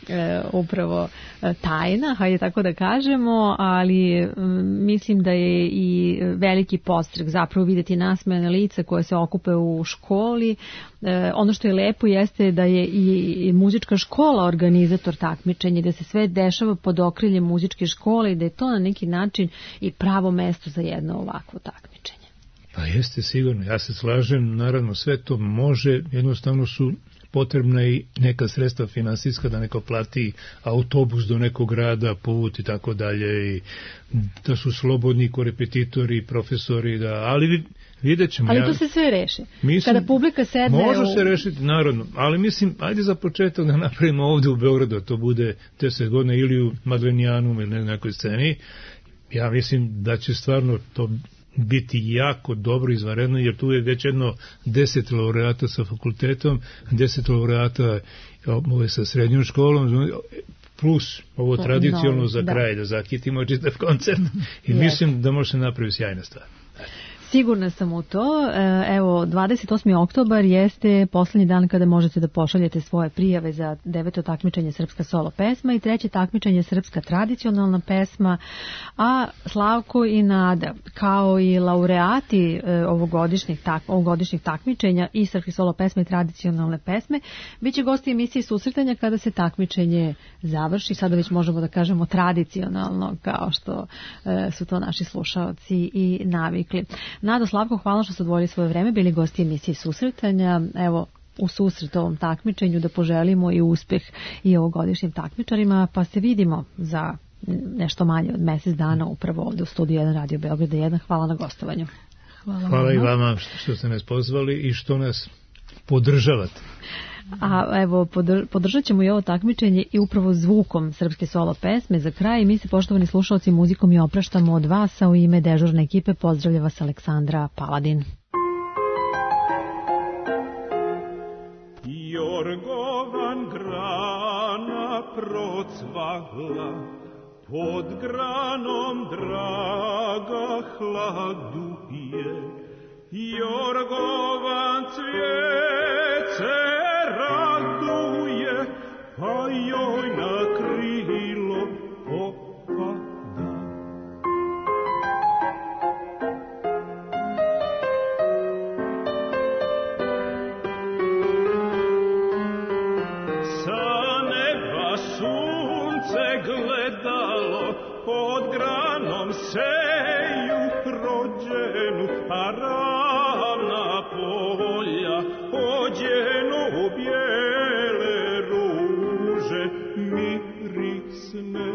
[SPEAKER 2] e, upravo e, tajna, hajde tako da kažemo, ali m, mislim da je i veliki podstrek zapravo vidjeti nasmejana lica koje se okupe u školi. E, ono što je lepo jeste da je i, i muzička škola organizator takmičenja, da se sve dešava pod okriljem muzičke škole i da je to na neki način i pravo mesto za jedno ovakvo takmičenje.
[SPEAKER 4] Pa jeste, sigurno, ja se slažem, naravno sve to može, jednostavno su potrebna i neka sredstva finansijska da neko plati autobus do nekog grada, put i tako dalje, i da su slobodni korepetitori, profesori, da, ali vidjet ćemo.
[SPEAKER 2] Ali
[SPEAKER 4] ja,
[SPEAKER 2] to se sve reši.
[SPEAKER 4] Mislim,
[SPEAKER 2] kada publika sedne...
[SPEAKER 4] Može
[SPEAKER 2] u...
[SPEAKER 4] se rešiti, naravno, ali mislim, ajde za početak da napravimo ovdje u Beogradu, to bude deset godina ili u Madlenijanu ili na nekoj sceni. Ja mislim da će stvarno to biti jako dobro, izvanredno, jer tu je već jedno deset laureata sa fakultetom, deset laureata ove sa srednjom školom, plus ovo tradicionalno no, za da. kraj, da zakitimo čitav koncert i yes. mislim da može se napraviti sjajna stvar.
[SPEAKER 2] Sigurna sam u to. Evo, dvadeset osmi oktobar jeste poslednji dan kada možete da pošaljete svoje prijave za deveto takmičenje Srpska solo pesma i treće takmičenje Srpska tradicionalna pesma, a Slavko i Nada, kao i laureati ovogodišnjih, tak, ovogodišnjih takmičenja i Srpske solo pesme i tradicionalne pesme, bit će gosti emisije susretanja kada se takmičenje završi. Sada već možemo da kažemo tradicionalno, kao što su to naši slušaoci i navikli. Nado, Slavko, hvala što ste odvojili svoje vreme, bili gosti emisije susretanja. Evo, u susret ovom takmičenju da poželimo i uspeh i ovogodišnjim takmičarima, pa se vidimo za nešto manje od mjesec dana upravo ovdje u studiju jedan Radio Beograda jedan. Hvala na gostovanju.
[SPEAKER 3] Hvala,
[SPEAKER 4] Hvala i vama što, što ste nas pozvali i što nas podržavate.
[SPEAKER 2] A evo, podr- podržat ćemo i ovo takmičenje i upravo zvukom srpske solo pesme. Za kraj mi se, poštovani slušalci, muzikom i opraštamo od vas, a u ime dežurne ekipe pozdravlja vas Aleksandra Paladin.
[SPEAKER 1] Jorgovan grana procvahla, pod granom draga hladu je. Jorgovan cvijet raduje, pa joj na krilo popada. Sa neba sunce gledalo, pod granom seju rođenu, a ravna polja ođeno bijele ruže mirisne.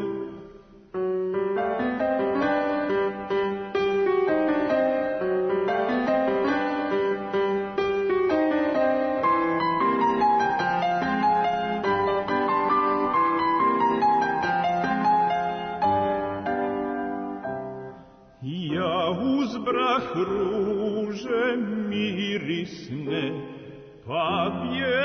[SPEAKER 1] Ja uzbrah ruže mirisne, pa bje